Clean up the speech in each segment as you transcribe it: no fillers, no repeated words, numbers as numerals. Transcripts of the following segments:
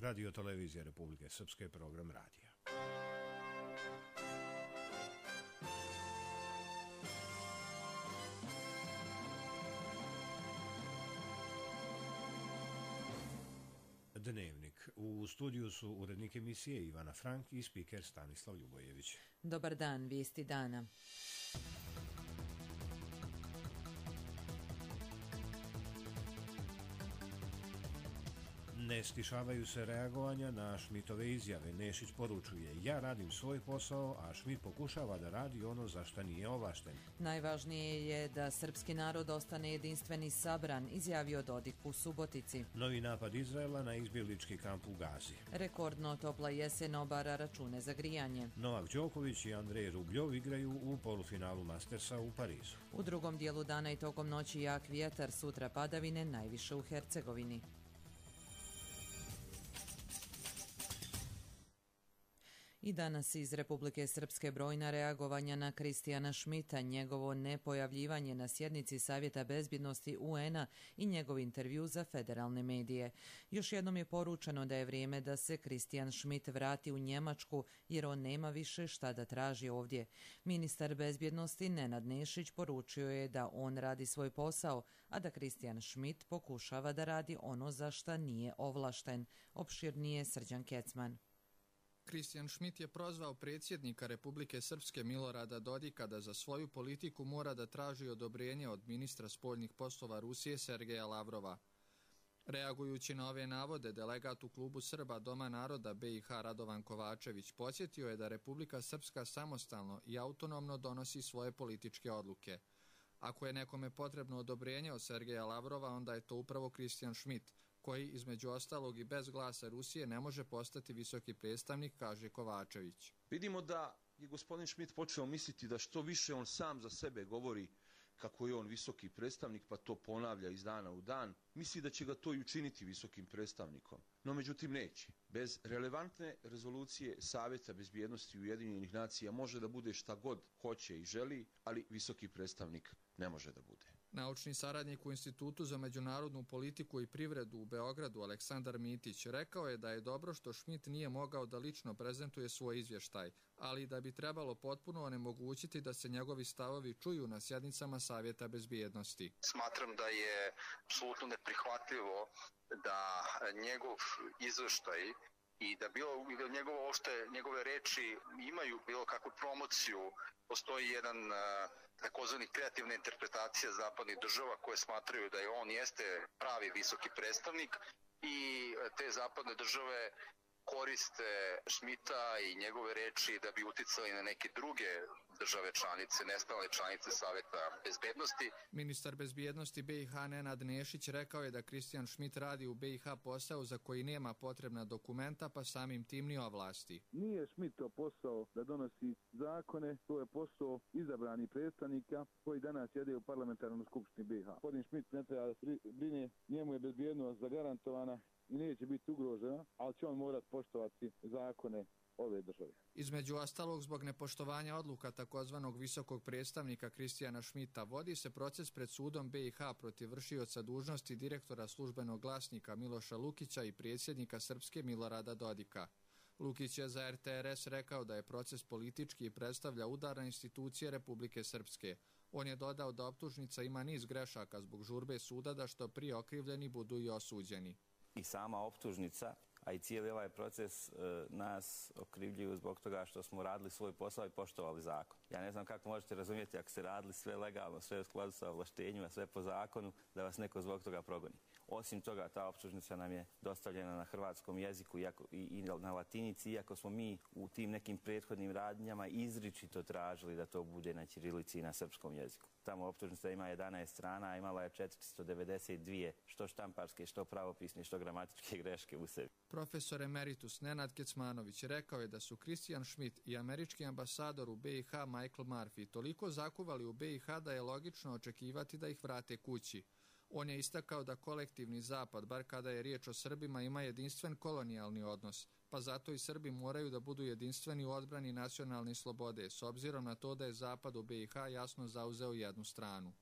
Radio Televizija Republike Srpske, program radija. Dnevnik. U studiju su urednik emisije Ivana Frank i spiker Stanislav Ljubojević. Dobar dan, vijesti dana. Ne stišavaju se reagovanja na Šmitove izjave. Nešić poručuje: ja radim svoj posao, a Šmit pokušava da radi ono za šta nije ovlašten. Najvažnije je da srpski narod ostane jedinstven i sabran, izjavio Dodik u Subotici. Novi napad Izraela na izbjeglički kamp u Gazi. Rekordno topla jesen obara račune za grijanje. Novak Đoković i Andrej Rubljov igraju u polufinalu Mastersa u Parizu. U drugom dijelu dana i tokom noći jak vjetar, sutra padavine, najviše u Hercegovini. I danas iz Republike Srpske brojna reagovanja na Kristijana Šmita, njegovo nepojavljivanje na sjednici Savjeta bezbjednosti UN-a i njegov intervju za federalne medije. Još jednom je poručeno da je vrijeme da se Kristijan Šmit vrati u Njemačku jer on nema više šta da traži ovdje. Ministar bezbjednosti Nenad Nešić poručio je da on radi svoj posao, a da Kristijan Šmit pokušava da radi ono za šta nije ovlašten. Opširnije Srđan Kecman. Kristijan Šmit je prozvao predsjednika Republike Srpske Milorada Dodika da za svoju politiku mora da traži odobrenje od ministra spoljnih poslova Rusije Sergeja Lavrova. Reagujući na ove navode, delegat u klubu Srba Doma naroda BiH Radovan Kovačević podsjetio je da Republika Srpska samostalno i autonomno donosi svoje političke odluke. Ako je nekome potrebno odobrenje od Sergeja Lavrova, onda je to upravo Kristijan Šmit, koji između ostalog i bez glasa Rusije ne može postati visoki predstavnik, kaže Kovačević. Vidimo da je gospodin Šmit počeo misliti da što više on sam za sebe govori kako je on visoki predstavnik, pa to ponavlja iz dana u dan, misli da će ga to i učiniti visokim predstavnikom. No međutim neće. Bez relevantne rezolucije Savjeta bezbjednosti Ujedinjenih nacija može da bude šta god hoće i želi, ali visoki predstavnik ne može da bude. Naučni saradnik u Institutu za međunarodnu politiku i privredu u Beogradu Aleksandar Mitić rekao je da je dobro što Šmit nije mogao da lično prezentuje svoj izvještaj, ali da bi trebalo potpuno onemogućiti da se njegovi stavovi čuju na sjednicama Savjeta bezbjednosti. Smatram da je apsolutno neprihvatljivo da njegov izvještaj i da njegove reči imaju bilo kakvu promociju. Postoji jedan takozvani kreativna interpretacija zapadnih država koje smatraju da je on jeste pravi visoki predstavnik i te zapadne države koriste Šmita i njegove reči da bi uticali na neke druge države članice, nestalne članice Savjeta bezbjednosti. Ministar bezbjednosti BiH Nenad Nešić rekao je da Kristijan Šmit radi u BiH posao za koji nema potrebna dokumenta, pa samim tim ni ovlasti. Nije Šmitov posao da donosi zakone, to je posao izabranih predstavnika koji danas sjede u parlamentarnoj skupštini BiH. Gospodin Šmit ne treba da se brine, njemu je bezbjednost zagarantovana i neće biti ugrožena, ali će on morati poštovati zakone ove države. Između ostalog, zbog nepoštovanja odluka takozvanog visokog predstavnika Kristijana Šmita vodi se proces pred sudom BiH protiv vršioca dužnosti direktora službenog glasnika Miloša Lukića i predsjednika Srpske Milorada Dodika. Lukić je za RTRS rekao da je proces politički i predstavlja udar na institucije Republike Srpske. On je dodao da optužnica ima niz grešaka zbog žurbe suda da što prije okrivljeni budu i osuđeni. I sama optužnica, a i cijeli ovaj proces nas okrivljuju zbog toga što smo radili svoj posao i poštovali zakon. Ja ne znam kako možete razumjeti ako ste radili sve legalno, sve u skladu sa ovlaštenjima, sve po zakonu, da vas neko zbog toga progoni. Osim toga, ta optužnica nam je dostavljena na hrvatskom jeziku i na latinici, iako smo mi u tim nekim prethodnim radnjama izričito tražili da to bude na ćirilici i na srpskom jeziku. Tamo optužnica ima 11 strana, a imala je 492, što štamparske, što pravopisne, što gramatičke greške u sebi. Profesor emeritus Nenad Kecmanović rekao je da su Kristijan Šmit i američki ambasador u BiH Michael Murphy toliko zakuvali u BiH da je logično očekivati da ih vrate kući. On je istakao da kolektivni zapad, bar kada je riječ o Srbima, ima jedinstven kolonijalni odnos, pa zato i Srbi moraju da budu jedinstveni u odbrani nacionalne slobode, s obzirom na to da je zapad u BiH jasno zauzeo jednu stranu.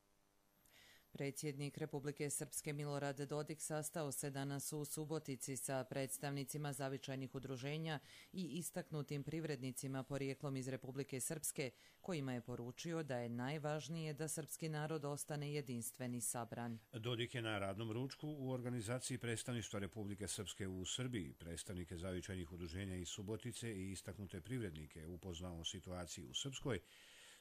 Predsjednik Republike Srpske Milorad Dodik sastao se danas u Subotici sa predstavnicima zavičajnih udruženja i istaknutim privrednicima porijeklom iz Republike Srpske, kojima je poručio da je najvažnije da srpski narod ostane jedinstven i sabran. Dodik je na radnom ručku u organizaciji predstavništva Republike Srpske u Srbiji, predstavnike zavičajnih udruženja iz Subotice i istaknute privrednike upoznao o situaciji u Srpskoj,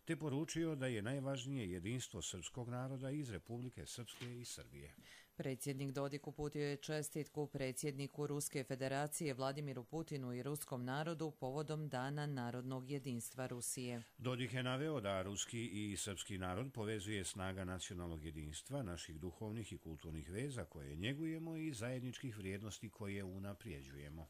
te poručio da je najvažnije jedinstvo srpskog naroda iz Republike Srpske i Srbije. Predsjednik Dodik uputio je čestitku predsjedniku Ruske federacije Vladimiru Putinu i ruskom narodu povodom Dana narodnog jedinstva Rusije. Dodik je naveo da ruski i srpski narod povezuje snaga nacionalnog jedinstva, naših duhovnih i kulturnih veza koje njegujemo i zajedničkih vrijednosti koje unaprijeđujemo.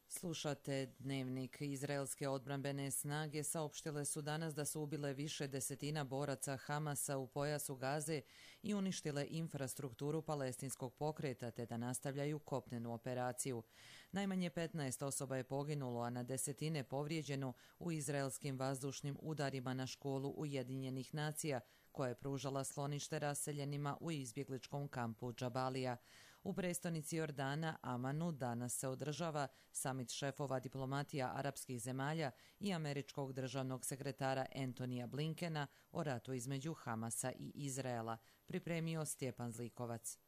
Slušate Dnevnik. Izraelske odbrambene snage saopštile su danas da su ubile više desetina boraca Hamasa u pojasu Gaze i uništile infrastrukturu palestinskog pokreta, te da nastavljaju kopnenu operaciju. Najmanje 15 osoba je poginulo, a na desetine povrijeđeno u izraelskim vazdušnim udarima na školu Ujedinjenih nacija, koja je pružala sklonište raseljenima u izbjegličkom kampu Džabalija. U prestonici Jordana, Amanu, danas se održava samit šefova diplomatija arapskih zemalja i američkog državnog sekretara Antonija Blinkena o ratu između Hamasa i Izraela, pripremio Stjepan Zlikovac.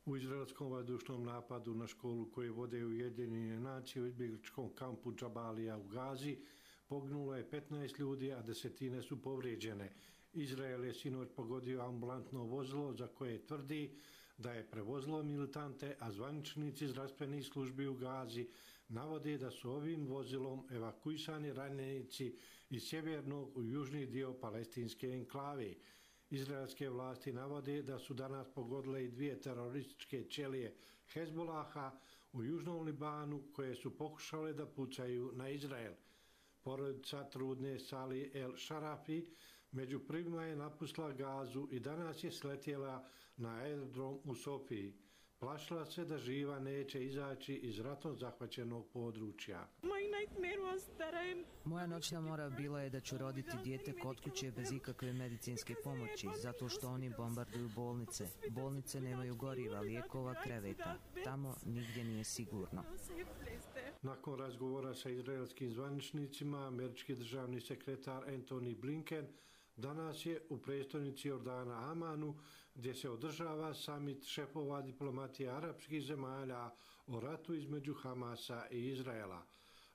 U izraelskom vazdušnom napadu na školu koju vode Ujedinjene nacije u izbjegličkom kampu Džabalija u Gazi poginulo je 15 ljudi, a desetine su povrijeđene. Izrael je sinoć pogodio ambulantno vozilo za koje tvrdi da je prevozilo militante, a zvaničnici zdravstvenih službi u Gazi navode da su ovim vozilom evakuisani ranjenici iz sjevernog u južni dio palestinske enklave. Izraelske vlasti navode da su danas pogodile i 2 terorističke ćelije Hezbolaha u južnom Libanu koje su pokušale da pucaju na Izrael. Porodica trudne Sali El Šarafi među prvima je napustila Gazu i danas je sletjela na aerodrom u Sofiji. Plašila se da živa neće izaći iz ratom zahvaćenog područja. Moja noćna mora bila je da ću roditi dijete kod kuće bez ikakve medicinske pomoći, zato što oni bombarduju bolnice. Bolnice nemaju goriva, lijekova, kreveta. Tamo nigdje nije sigurno. Nakon razgovora sa izraelskim zvaničnicima, američki državni sekretar Antony Blinken danas je u prestonici Jordana Amanu, gdje se održava samit šefova diplomatije arapskih zemalja o ratu između Hamasa i Izraela.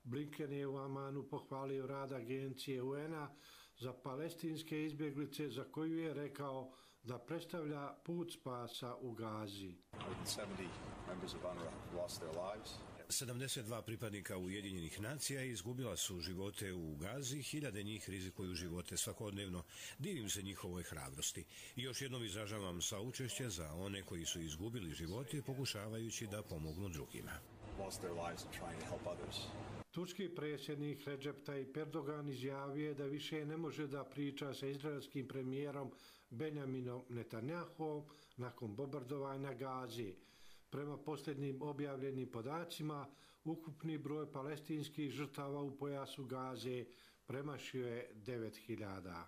Blinken je u Amanu pohvalio rad agencije UN-a za palestinske izbjeglice, za koju je rekao da predstavlja put spasa u Gazi. 72 pripadnika Ujedinjenih nacija izgubila su živote u Gazi, hiljade njih rizikuju živote svakodnevno. Divim se njihovoj hrabrosti. I još jednom izražavam saučešće za one koji su izgubili živote pokušavajući da pomognu drugima. Turski predsjednik Recep Tayyip Erdogan izjavio da više ne može da priča sa izraelskim premijerom Benjaminom Netanjahom nakon bombardovanja Gazi. Prema posljednjim objavljenim podacima, ukupni broj palestinskih žrtava u pojasu Gaze premašio je 9.000.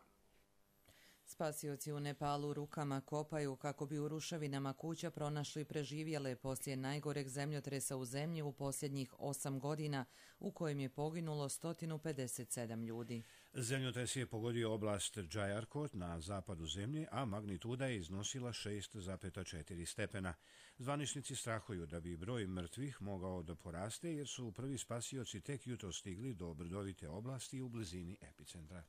Spasioci u Nepalu rukama kopaju kako bi u ruševinama kuća pronašli preživjele poslije najgoreg zemljotresa u zemlji u posljednjih 8 godina, u kojem je poginulo 157 ljudi. Zemljotres je pogodio oblast Džajarkot na zapadu zemlje, a magnituda je iznosila 6,4 stepena. Zvaničnici strahuju da bi broj mrtvih mogao da poraste, jer su prvi spasioci tek jutro stigli do brdovite oblasti u blizini epicentra.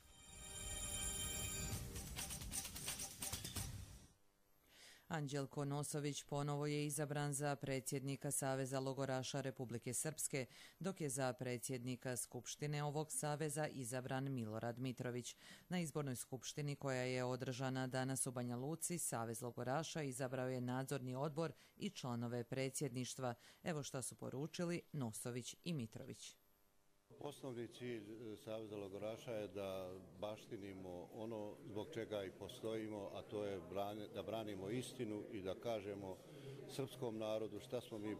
Anđelko Nosović ponovo je izabran za predsjednika Saveza logoraša Republike Srpske, dok je za predsjednika Skupštine ovog saveza izabran Milorad Mitrović. Na izbornoj skupštini koja je održana danas u Banja Luci, Savez logoraša izabrao je nadzorni odbor i članove predsjedništva. Evo šta su poručili Nosović i Mitrović. Osnovni cilj Saveza logoraša je da baštinimo ono zbog čega i postojimo, a to je da branimo istinu i da kažemo srpskom narodu šta smo mi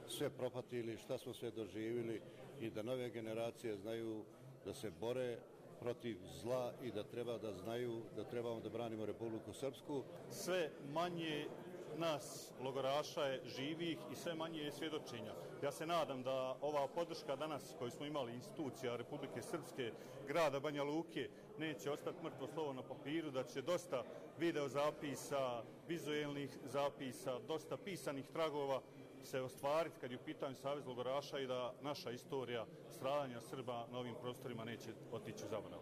sve propatili, šta smo sve doživjeli i da nove generacije znaju da se bore protiv zla i da treba da znaju da trebamo da branimo Republiku Srpsku. Sve manje nas logoraša je živih i sve manje je svjedočenja. Ja se nadam da ova podrška danas koju smo imali institucija Republike Srpske, grada Banja Luke, neće ostati mrtvo slovo na papiru, da će dosta video zapisa, vizuelnih zapisa, dosta pisanih tragova se ostvariti kad je u pitanju Savez logoraša i da naša istorija stradanja Srba na ovim prostorima neće otići u zaborav.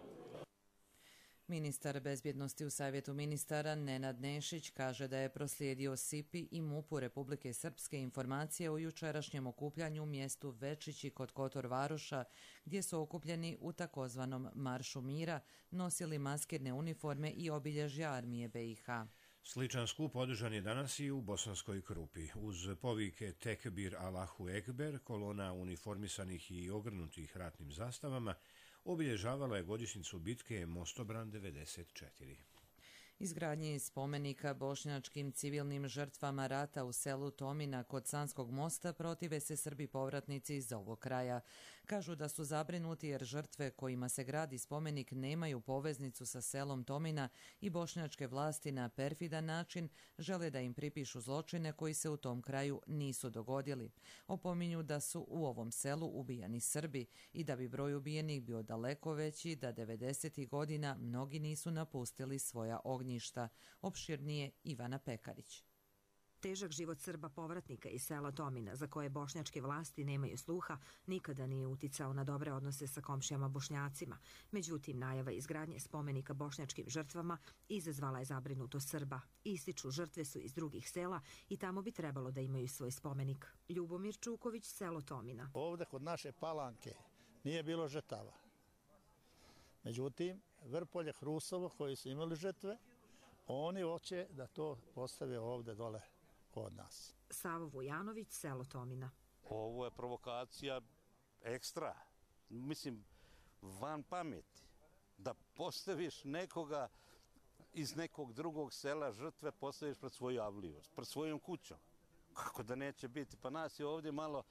Ministar bezbjednosti u Savjetu ministara Nenad Nešić kaže da je proslijedio SIPI i MUP-u Republike Srpske informacije o jučerašnjem okupljanju u mjestu Večići kod Kotor Varoša, gdje su okupljeni u takozvanom Maršu mira, nosili maskirne uniforme i obilježja armije BiH. Sličan skup održan je danas i u Bosanskoj Krupi. Uz povike Tekbir Allahu Ekber, kolona uniformisanih i ogrnutih ratnim zastavama obilježavala je godišnjicu bitke Mostobran 94. Izgradnji spomenika bošnjačkim civilnim žrtvama rata u selu Tomina kod Sanskog mosta protive se Srbi povratnici iz ovog kraja. Kažu da su zabrinuti jer žrtve kojima se gradi spomenik nemaju poveznicu sa selom Tomina i bošnjačke vlasti na perfidan način žele da im pripišu zločine koji se u tom kraju nisu dogodili. Opominju da su u ovom selu ubijani Srbi i da bi broj ubijenih bio daleko veći, da 90. godina mnogi nisu napustili svoja ognjišta. Opširnije Ivana Pekarić. Težak život Srba povratnika iz sela Tomina, za koje bošnjačke vlasti nemaju sluha, nikada nije uticao na dobre odnose sa komšijama Bošnjacima. Međutim, najava izgradnje spomenika bošnjačkim žrtvama izazvala je zabrinutost Srba. Ističu, žrtve su iz drugih sela i tamo bi trebalo da imaju svoj spomenik. Ljubomir Čuković, selo Tomina. Ovde kod naše Palanke nije bilo žrtava. Međutim, Vrpolje, Hrusovo, koji su imali žrtve, oni hoće da to postave ovde dole kod nas. Savo Vujanović, selo Tomina. Ovo je provokacija ekstra. Mislim, van pameti. Da postaviš nekoga iz nekog drugog sela žrtve, postaviš pred svoju avliju, pred svojom kućom. Kako da neće biti? Pa nas je ovdje malo,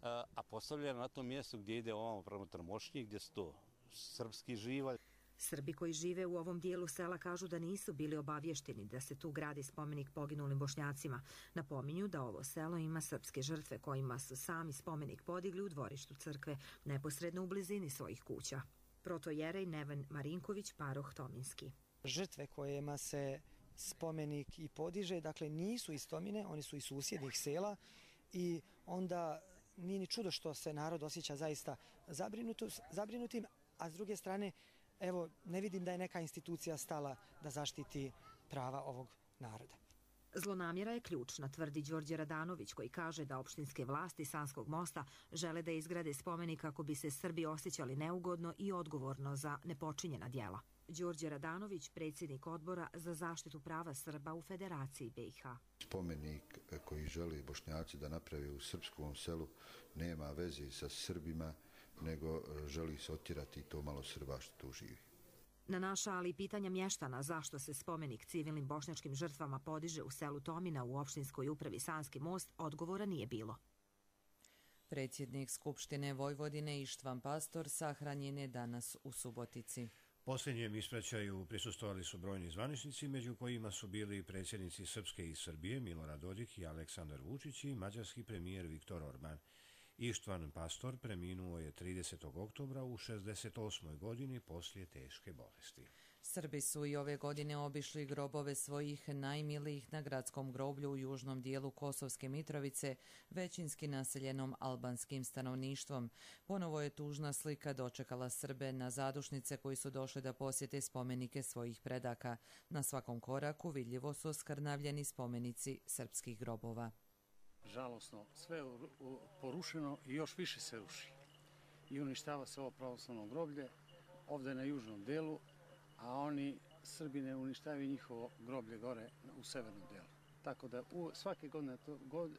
a postavljeno na tom mjestu gdje ide ovamo prema Trmošnji, gdje su to srpski živalj. Srbi koji žive u ovom dijelu sela kažu da nisu bili obavješteni da se tu gradi spomenik poginulim Bošnjacima. Napominju da ovo selo ima srpske žrtve kojima su sami spomenik podigli u dvorištu crkve, neposredno u blizini svojih kuća. Protojerej Neven Marinković, paroh Tominski. Žrtve kojima se spomenik i podiže, dakle nisu iz Tomine, oni su iz susjednih sela i onda nije ni čudo što se narod osjeća zaista zabrinutim, a s druge strane, evo, ne vidim da je neka institucija stala da zaštiti prava ovog naroda. Zlonamjera je ključna, tvrdi Đorđe Radanović, koji kaže da opštinske vlasti Sanskog mosta žele da izgrade spomenik kako bi se Srbi osjećali neugodno i odgovorno za nepočinjena djela. Đorđe Radanović, predsjednik odbora za zaštitu prava Srba u Federaciji BiH. Spomenik koji želi Bošnjaci da napravi u srpskom selu nema veze sa Srbima, nego želi se otjerati to malo Srba što tu živi. Na naša, ali i pitanja mještana zašto se spomenik civilnim bošnjačkim žrtvama podiže u selu Tomina u opštinskoj upravi Sanski most, odgovora nije bilo. Predsjednik Skupštine Vojvodine Ištvan Pastor sahranjen je danas u Subotici. Posljednjem ispraćaju prisustvovali su brojni zvaničnici, među kojima su bili predsjednici Srpske i Srbije Milorad Dodik i Aleksandar Vučić i mađarski premijer Viktor Orban. Ištvan Pastor preminuo je 30. oktobra u 68. godini poslije teške bolesti. Srbi su i ove godine obišli grobove svojih najmilijih na gradskom groblju u južnom dijelu Kosovske Mitrovice, većinski naseljenom albanskim stanovništvom. Ponovo je tužna slika dočekala Srbe na zadušnice koji su došli da posjete spomenike svojih predaka. Na svakom koraku vidljivo su oskrnavljeni spomenici srpskih grobova. Žalosno, sve je porušeno i još više se ruši. I uništava se ovo pravoslavno groblje ovdje na južnom delu, a oni Srbi ne uništavaju njihovo groblje gore u severnom delu. Tako da svake godine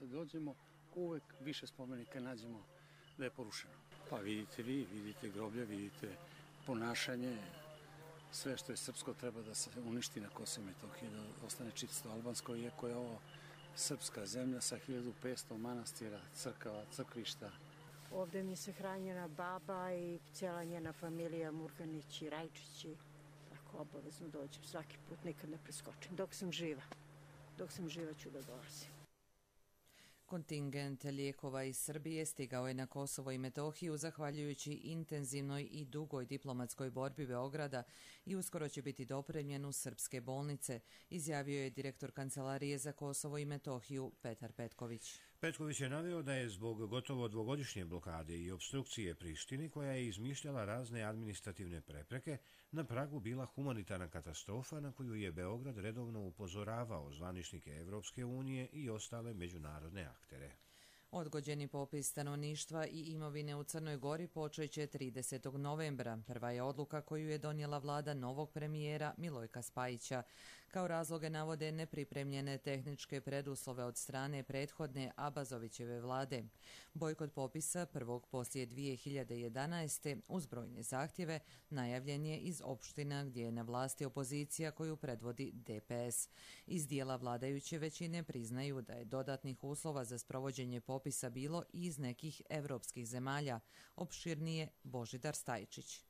dođemo, uvek više spomenika nađemo da je porušeno. Pa vidite vi, vidite groblje, vidite ponašanje, sve što je srpsko treba da se uništi na Kosovu i Metohiji, da ostane čisto albansko, iako je ovo srpska zemlja sa 1500 manastira, crkava, crkvišta. Ovdje mi se hranjena baba i cijela njena familija, Murganić i Rajčići. Tako obavezno dođem svaki put, nikad ne preskočim. Dok sam živa ću da dolazim. Kontingent lijekova iz Srbije stigao je na Kosovo i Metohiju zahvaljujući intenzivnoj i dugoj diplomatskoj borbi Beograda i uskoro će biti dopremljen u srpske bolnice, izjavio je direktor Kancelarije za Kosovo i Metohiju Petar Petković. Petković je naveo da je zbog gotovo dvogodišnje blokade i obstrukcije Prištini, koja je izmišljala razne administrativne prepreke, na pragu bila humanitarna katastrofa na koju je Beograd redovno upozoravao zvaničnike Evropske unije i ostale međunarodne aktere. Odgođeni popis stanovništva i imovine u Crnoj Gori počeće 30. novembra. Prva je odluka koju je donijela vlada novog premijera Milojka Spajića. Kao razloge navode nepripremljene tehničke preduslove od strane prethodne Abazovićeve vlade. Bojkot popisa prvog poslije 2011. uz brojne zahtjeve najavljen je iz opština gdje je na vlasti opozicija koju predvodi DPS. Iz dijela vladajuće većine priznaju da je dodatnih uslova za sprovođenje popisa bilo i iz nekih evropskih zemalja. Opširnije Božidar Stajčić.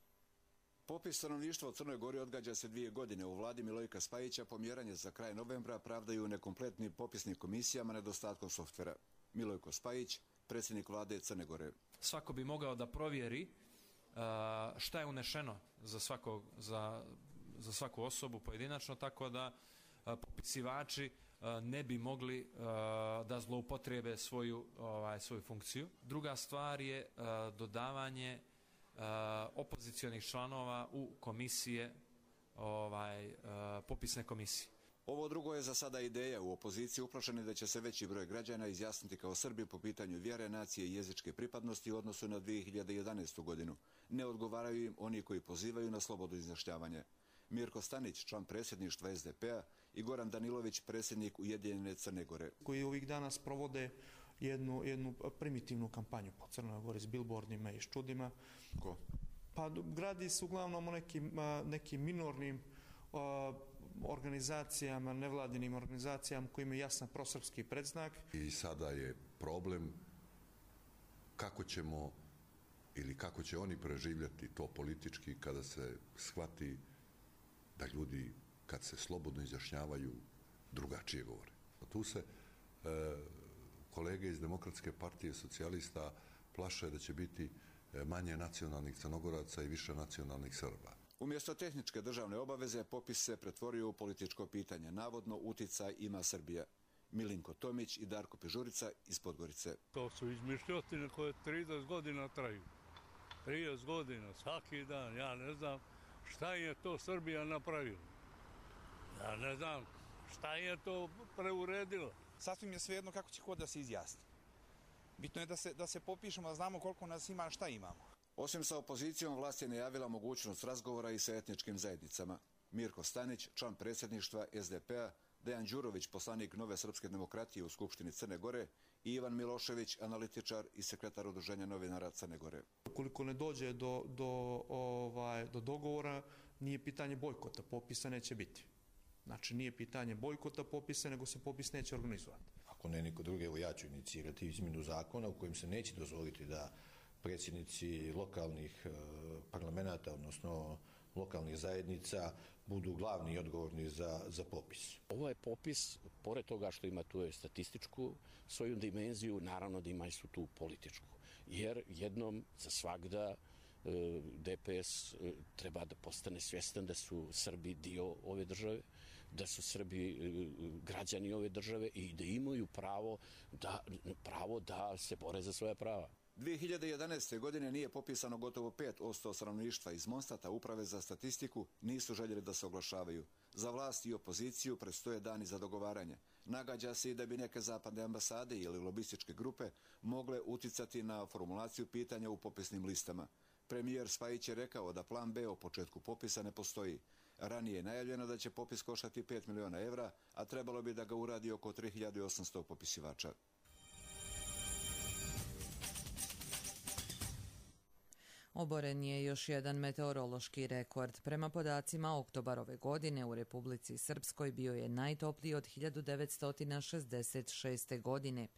Popis stanovništva u Crnoj Gori odgađa se 2 godine. U vladi Milojka Spajića pomjeranje za kraj novembra pravdaju nekompletnim popisnim komisijama nedostatkom softvera. Milojko Spajić, predsjednik vlade Crne Gore. Svako bi mogao da provjeri šta je unešeno za svaku osobu pojedinačno, tako da popisivači ne bi mogli da zloupotrebe svoju funkciju. Druga stvar je dodavanje opozicionih članova u komisije, popisne komisije. Ovo drugo je za sada ideja. U opoziciji uplašeni da će se veći broj građana izjasniti kao Srbi po pitanju vjere, nacije i jezičke pripadnosti u odnosu na 2011. godinu. Ne odgovaraju im oni koji pozivaju na slobodno izjašnjavanje. Mirko Stanić, član predsjedništva SDP-a, i Goran Danilović, predsjednik Ujedinjene Crne Gore. Koji ovih dana sprovode jednu primitivnu kampanju po Crnoj Gori s bilbordima i ščudima. Ko? Pa gradi se uglavnom o nekim minornim organizacijama, nevladinim organizacijama koji imaju jasan prosrpski predznak. I sada je problem kako ćemo ili kako će oni preživljati to politički kada se shvati da ljudi kad se slobodno izjašnjavaju drugačije govore. Tu se kolege iz Demokratske partije socijalista plaše da će biti manje nacionalnih Crnogoraca i više nacionalnih Srba. Umjesto tehničke državne obaveze, popis se pretvorio u političko pitanje. Navodno uticaj ima Srbija. Milinko Tomić i Darko Pižurica iz Podgorice. To su izmišljotine koje 30 godina traju. 30 godina, svaki dan. Ja ne znam šta je to Srbija napravila. Ja ne znam šta je to preuredilo. Sasvim je svejedno kako će ko da se izjasni. Bitno je da se popišemo, da znamo koliko nas ima, šta imamo. Osim sa opozicijom, vlast je najavila mogućnost razgovora i sa etničkim zajednicama. Mirko Stanić, član predsjedništva SDP-a, Dejan Đurović, poslanik Nove srpske demokratije u Skupštini Crne Gore, i Ivan Milošević, analitičar i sekretar Udruženja novinara Crne Gore. Ukoliko ne dođe do dogovora, nije pitanje bojkota, popisa neće biti. Znači, nije pitanje bojkota popisa, nego se popis neće organizovati. Ako ne niko drugi, evo ja ću inicirati izmjenu zakona u kojem se neće dozvoliti da predsjednici lokalnih parlamenta, odnosno lokalnih zajednica, budu glavni i odgovorni za popis. Ovo je popis, pored toga što ima tu statističku svoju dimenziju, naravno da ima i tu političku. Jer jednom za svagda DPS treba da postane svjestan da su Srbi dio ove države, da su Srbi građani ove države i da imaju pravo da se bore za svoja prava. 2011. godine nije popisano gotovo 5% stanovništva. Iz Monstata Uprave za statistiku nisu željeli da se oglašavaju. Za vlast i opoziciju predstoje dani za dogovaranje. Nagađa se i da bi neke zapadne ambasade ili lobističke grupe mogle uticati na formulaciju pitanja u popisnim listama. Premijer Spajić je rekao da plan B o početku popisa ne postoji. Ranije je najavljeno da će popis koštati 5 miliona evra, a trebalo bi da ga uradi oko 3800 popisivača. Oboren je još jedan meteorološki rekord. Prema podacima oktobar ove godine u Republici Srpskoj bio je najtopliji od 1966. godine.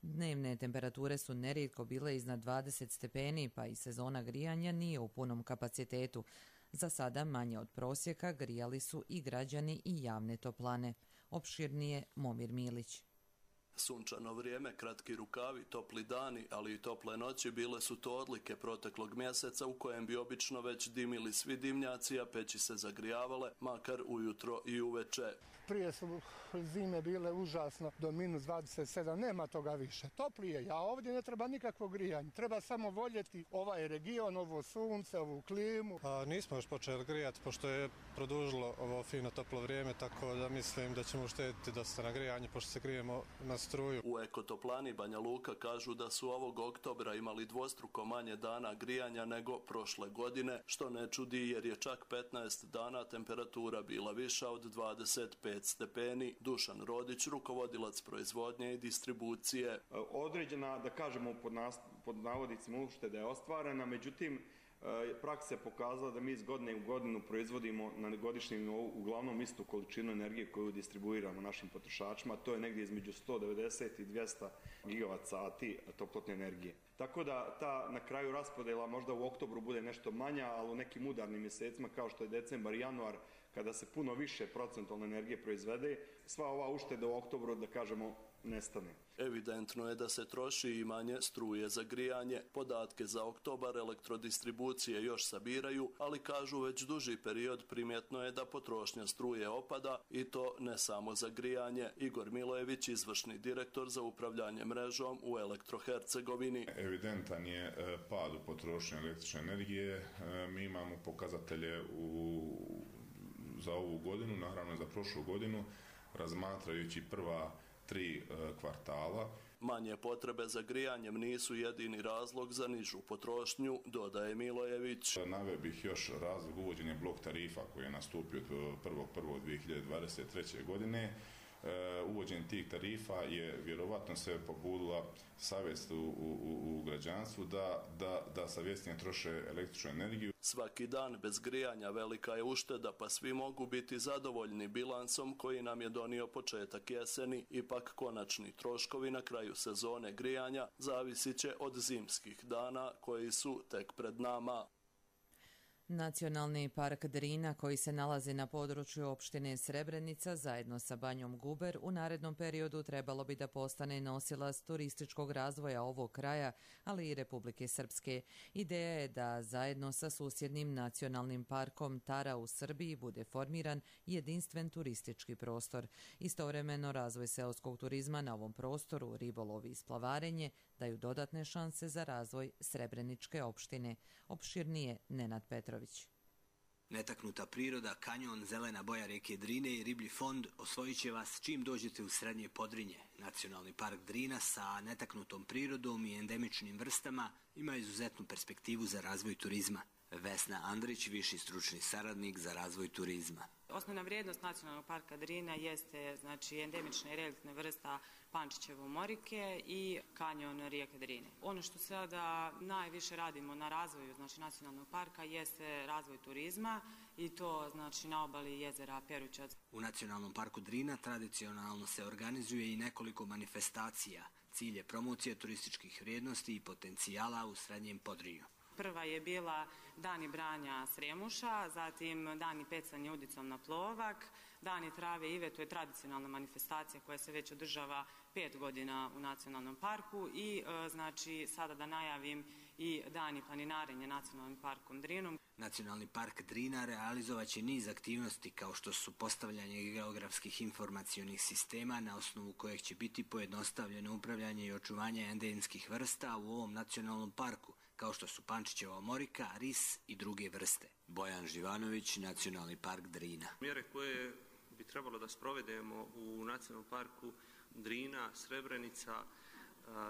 Dnevne temperature su nerijetko bile iznad 20 stepeni, pa i sezona grijanja nije u punom kapacitetu. Za sada manje od prosjeka grijali su i građani i javne toplane. Opširnije Momir Milić. Sunčano vrijeme, kratki rukavi, topli dani, ali i tople noći bile su to odlike proteklog mjeseca u kojem bi obično već dimili svi dimnjaci, a peći se zagrijavale, makar ujutro i uveče. Prije su zime bile užasno do minus 27, nema toga više. Toplije, a ovdje ne treba nikakvo grijanje, treba samo voljeti ovaj region, ovo sunce, ovu klimu. Nismo još počeli grijati, pošto je produžilo ovo fino toplo vrijeme, tako da mislim da ćemo uštediti dosta na grijanje, pošto se grijemo na struju. U Ekotoplani Banja Luka kažu da su ovog oktobra imali dvostruko manje dana grijanja nego prošle godine, što ne čudi jer je čak 15 dana temperatura bila viša od 25 stepeni. Dušan Rodić, rukovodilac proizvodnje i distribucije. Određena, da kažemo pod navodicima, ušteda je ostvarena, međutim praksa je pokazala da mi iz godine u godinu proizvodimo na godišnjem nivou uglavnom istu količinu energije koju distribuiramo našim potrošačima, to je negdje između 190 i 200 gigavat sati toplotne energije. Tako da ta na kraju raspodjela možda u oktobru bude nešto manja, ali u nekim udarnim mjesecima kao što je decembar i januar, kada se puno više procentualne energije proizvede, sva ova ušteda u oktobru, da kažemo, nestane. Evidentno je da se troši i manje struje za grijanje. Podatke za oktobar elektrodistribucije još sabiraju, ali kažu već duži period primjetno je da potrošnja struje opada i to ne samo za grijanje. Igor Milojević, izvršni direktor za upravljanje mrežom u Elektrohercegovini. Evidentan je pad u potrošnji električne energije. Mi imamo pokazatelje za ovu godinu, naravno za prošlu godinu, razmatrajući prva 3 kvartala. Manje potrebe za grijanjem nisu jedini razlog za nižu potrošnju, dodaje Milojević. Naveo bih još razlog uvođenja blok tarifa koji je nastupio od 1.1.2023. godine. Uvođenje tih tarifa je vjerovatno se pobudila savjest u građanstvu da savjesnije troše električnu energiju. Svaki dan bez grijanja velika je ušteda, pa svi mogu biti zadovoljni bilansom koji nam je donio početak jeseni. Ipak konačni troškovi na kraju sezone grijanja zavisit će od zimskih dana koji su tek pred nama. Nacionalni park Drina, koji se nalazi na području opštine Srebrenica zajedno sa Banjom Guber, u narednom periodu trebalo bi da postane nosilac turističkog razvoja ovog kraja, ali i Republike Srpske. Ideja je da zajedno sa susjednim nacionalnim parkom Tara u Srbiji bude formiran jedinstven turistički prostor. Istovremeno razvoj seoskog turizma na ovom prostoru, ribolov i splavarenje daju dodatne šanse za razvoj Srebreničke opštine. Opširnije Nenad Petrović. Netaknuta priroda, kanjon, zelena boja rijeke Drine i riblji fond osvojit će vas čim dođete u Srednje Podrinje. Nacionalni park Drina sa netaknutom prirodom i endemičnim vrstama ima izuzetnu perspektivu za razvoj turizma. Vesna Andrić, viši stručni saradnik za razvoj turizma. Osnovna vrijednost Nacionalnog parka Drina jeste endemična i reliktna vrsta Pančićevo morike i kanjon rijeke Drine. Ono što sada najviše radimo na razvoju Nacionalnog parka jeste razvoj turizma i to na obali jezera Perućac. U Nacionalnom parku Drina tradicionalno se organizuje i nekoliko manifestacija. Cilj je promocija turističkih vrijednosti i potencijala u Srednjem Podrinju. Prva je bila Dani branja Sremuša, zatim Dani pecanja udicom na plovak, Dani trave Ive, to je tradicionalna manifestacija koja se već održava 5 godina u Nacionalnom parku i sada da najavim i Dani planinarenja Nacionalnim parkom Drinom. Nacionalni park Drina realizovat će niz aktivnosti kao što su postavljanje geografskih informacionih sistema na osnovu kojeg će biti pojednostavljeno upravljanje i očuvanje endemskih vrsta u ovom nacionalnom parku, kao što su Pančićeva morika, ris i druge vrste. Bojan Živanović, Nacionalni park Drina. Mjere koje bi trebalo da sprovedemo u Nacionalnom parku Drina, Srebrenica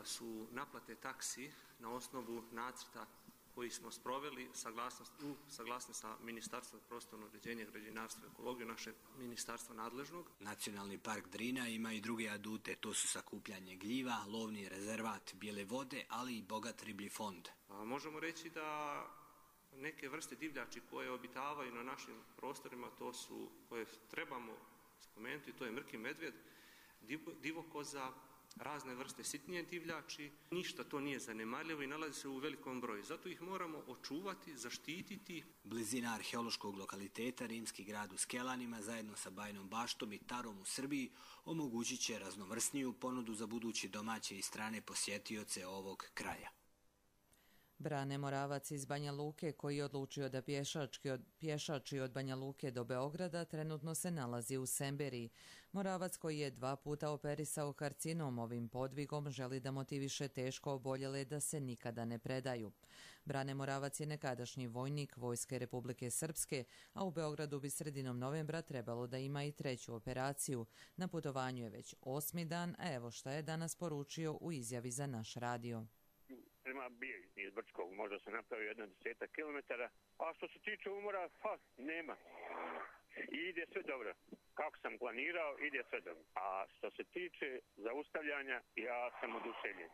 su naplate taksi na osnovu nacrta koji smo sproveli saglasno sa Ministarstvom prostornog uređenja, građevinarstva i ekologije, našeg ministarstva nadležnog. Nacionalni park Drina ima i druge adute, to su sakupljanje gljiva, lovni rezervat, bijele vode, ali i bogat riblji fond. Možemo reći da Neke vrste divljači koje obitavaju na našim prostorima, to su, koje trebamo spomenuti, to je mrki medvjed, divokoza, razne vrste sitnije divljači. Ništa to nije zanemarljivo i nalazi se u velikom broju. Zato ih moramo očuvati, zaštititi. Blizina arheološkog lokaliteta Rimski grad u Skelanima zajedno sa Bajnom Baštom i Tarom u Srbiji omogućit će raznovrsniju ponudu za budući domaće i strane posjetioce ovog kraja. Brane Moravac iz Banja Luke, koji je odlučio da pješači od Banja Luke do Beograda, trenutno se nalazi u Semberiji. Moravac, koji je 2 puta operisao karcinom, ovim podvigom želi da motiviše teško oboljele da se nikada ne predaju. Brane Moravac je nekadašnji vojnik Vojske Republike Srpske, a u Beogradu bi sredinom novembra trebalo da ima i 3. operaciju. Na putovanju je već 8. dan, a evo šta je danas poručio u izjavi za naš radio. Bio iz Brčkog, možda sam napravio 10 kilometara, a što se tiče umora, nema. I ide sve dobro. Kako sam planirao, ide sve dobro. A što se tiče zaustavljanja, ja sam oduševljen.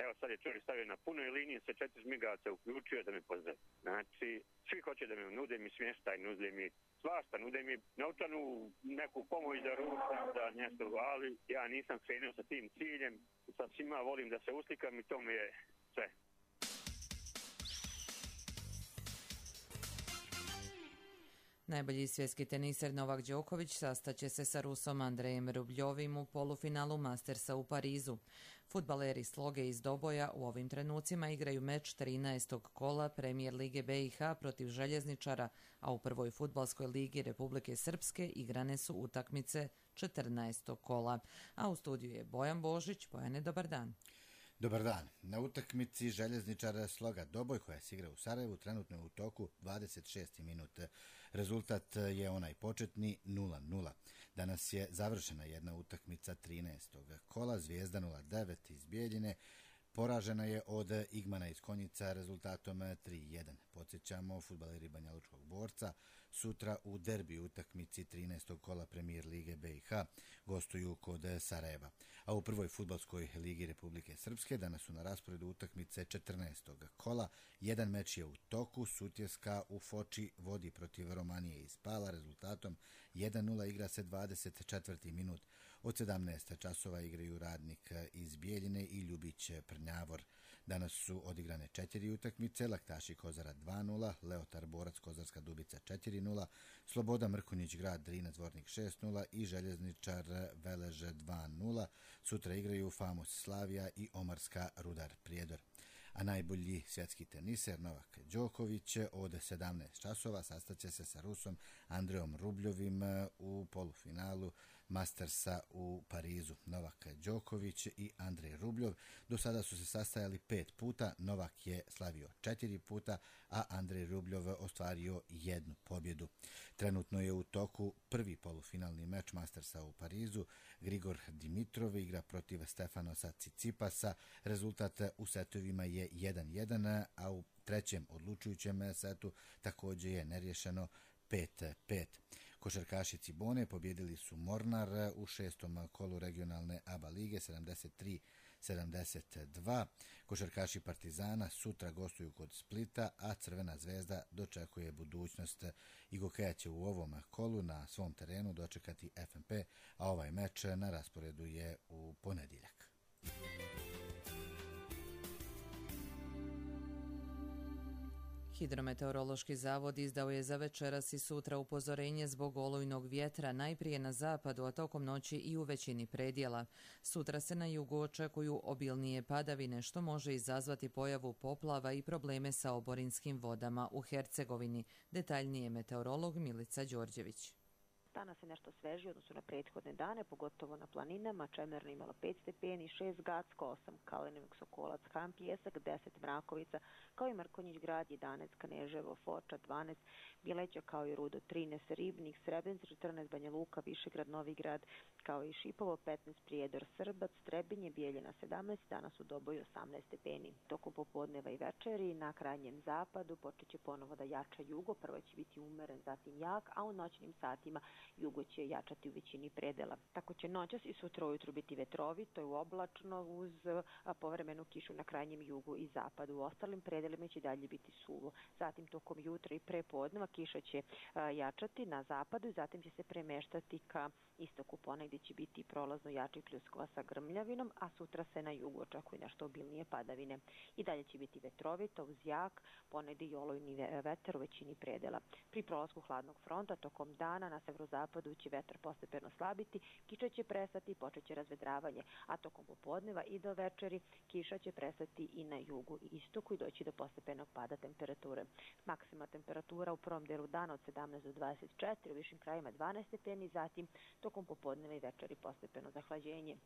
Evo sad je čovjek stavio na punoj liniji, sa 4 žmigavca uključio da me pozdravi. Znači, svi hoće da me nude mi smještaj, nude mi svašta, nude mi novčanu neku pomoć da ručam, da nešto, ali ja nisam krenuo sa tim ciljem. Sa svima volim da se uslikam i to mi je sve. Najbolji svjetski teniser Novak Đoković sastaće se sa Rusom Andrejem Rubljovim u polufinalu Mastersa u Parizu. Fudbaleri Sloge iz Doboja u ovim trenucima igraju meč 13. kola Premijer Lige BiH protiv Željezničara, a u prvoj fudbalskoj ligi Republike Srpske igrane su utakmice 14. kola. A u studiju je Bojan Božić. Bojane, dobar dan. Dobar dan. Na utakmici Željezničara Sloga Doboj, koja se igra u Sarajevu, trenutno je u toku 26. minut. Rezultat je onaj početni 0-0. Danas je završena jedna utakmica 13. kola. Zvijezda 09 iz Bijeljine poražena je od Igmana iz Konjica rezultatom 3-1. Podsjećamo, fudbaleri Banjalučkog Borca sutra u derbi utakmici 13. kola Premijer Lige BiH gostuju kod Sarajeva. A u prvoj fudbalskoj ligi Republike Srpske danas su na rasporedu utakmice 14. kola. Jedan meč je u toku. Sutjeska u Foči vodi protiv Romanije iz Pala rezultatom 1-0, igra se 24. minut. Od 17 časova igraju Radnik iz Bijeljine i Ljubić Prnjavor. Danas su odigrane 4 utakmice, Laktaši Kozara 2-0, Leotar Borac Kozarska Dubica 4-0, Sloboda Mrkonjić Grad Drinac Vornik 6-0 i Željezničar Velež 2-0. Sutra igraju Famos Slavija i Omarska Rudar Prijedor. A najbolji svjetski teniser Novak Đoković od 17 časova sastaće se sa Rusom Andrejom Rubljovim u polufinalu Mastersa u Parizu. Novak Đoković i Andrej Rubljov do sada su se sastajali 5 puta, Novak je slavio 4 puta, a Andrej Rubljov ostvario 1 pobjedu. Trenutno je u toku prvi polufinalni meč Mastersa u Parizu. Grigor Dimitrov igra protiv Stefanosa Cicipasa. Rezultat u setovima je 1-1, a u trećem odlučujućem setu također je neriješeno 5-5. Košarkaši Cibone pobjedili su Mornar u 6. kolu regionalne ABA lige 73-72. Košarkaši Partizana sutra gostuju kod Splita, a Crvena zvezda dočekuje budućnost. Igokeja će u ovom kolu na svom terenu dočekati FNP, a ovaj meč na rasporedu je u ponedjeljak. Hidrometeorološki zavod izdao je za večeras i sutra upozorenje zbog olujnog vjetra, najprije na zapadu, a tokom noći i u većini predjela. Sutra se na jugu očekuju obilnije padavine, što može izazvati pojavu poplava i probleme sa oborinskim vodama u Hercegovini. Detaljnije meteorolog Milica Đorđević. Danas je nešto svežije odnosno na prethodne dane, pogotovo na planinama. Čemerna imala 5 stepeni, 6 Gacko, 8 Kalenovik, Sokolac, Ham, Pjesak, 10 Mrakovica, kao i Mrkonjić Grad, 11 Kaneževo, Foča, 12 Bileća, kao i Rudo, 13 Ribnik, Srebrenica, 14 Banja Luka, Višegrad, Novi Grad, kao i Šipovo, 15 Prijedor, Srbac, Trebinje, Bijeljina, 17, danas u Doboju 18 stepeni. Tokom popodneva i večeri na krajnjem zapadu počet će ponovo da jača jugo, prvo će biti umeren, zatim jak, a u noćnim satima jugo će jačati u većini predela. Tako će noćas i sutra ujutru biti vetrovito i oblačno uz povremenu kišu na krajnjem jugu i zapadu. U ostalim predelima će dalje biti suvo. Zatim tokom jutra i prepodneva kiša će jačati na zapadu i zatim će se premeštati ka istoku. Ponegdje će biti prolazno jači pljuskova sa grmljavinom, a sutra se na jugu očekuje nešto obilnije padavine. I dalje će biti vetrovito uz jak, ponegdje i olujni vetar u većini predela. Pri prolasku hladnog fronta tokom dana na severozapadu će vetar postepeno slabiti, kiša će prestati i počet će razvedravanje, a tokom popodneva i do večeri kiša će prestati i na jugu i istoku i doći do postepenog pada temperature. Maksimalna temperatura u prvom delu dana od 17 do 24, u višim krajima 12 stepeni, zatim tokom popodneva i večeri postepeno zahlađenje.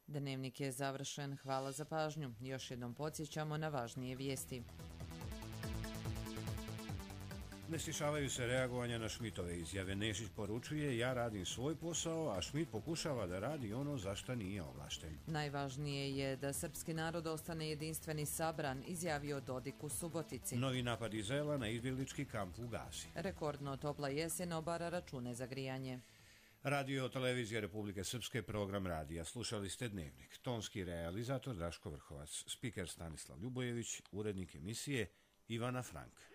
Dnevnik je završen. Hvala za pažnju. Još jednom podsjećamo na važnije vijesti. Ne stišavaju se reagovanja na Šmitove izjave. Nešić poručuje: ja radim svoj posao, a Šmit pokušava da radi ono za što nije ovlašten. Najvažnije je da srpski narod ostane jedinstven i sabran, izjavio Dodik u Subotici. Novi napad Izraela na izbjeglički kamp u Gazi. Rekordno topla jesen obara račune za grijanje. Radio Televizija Republike Srpske, program radija. Slušali ste Dnevnik. Tonski realizator Daško Vrhovac, spiker Stanislav Ljubojević, urednik emisije Ivana Frank.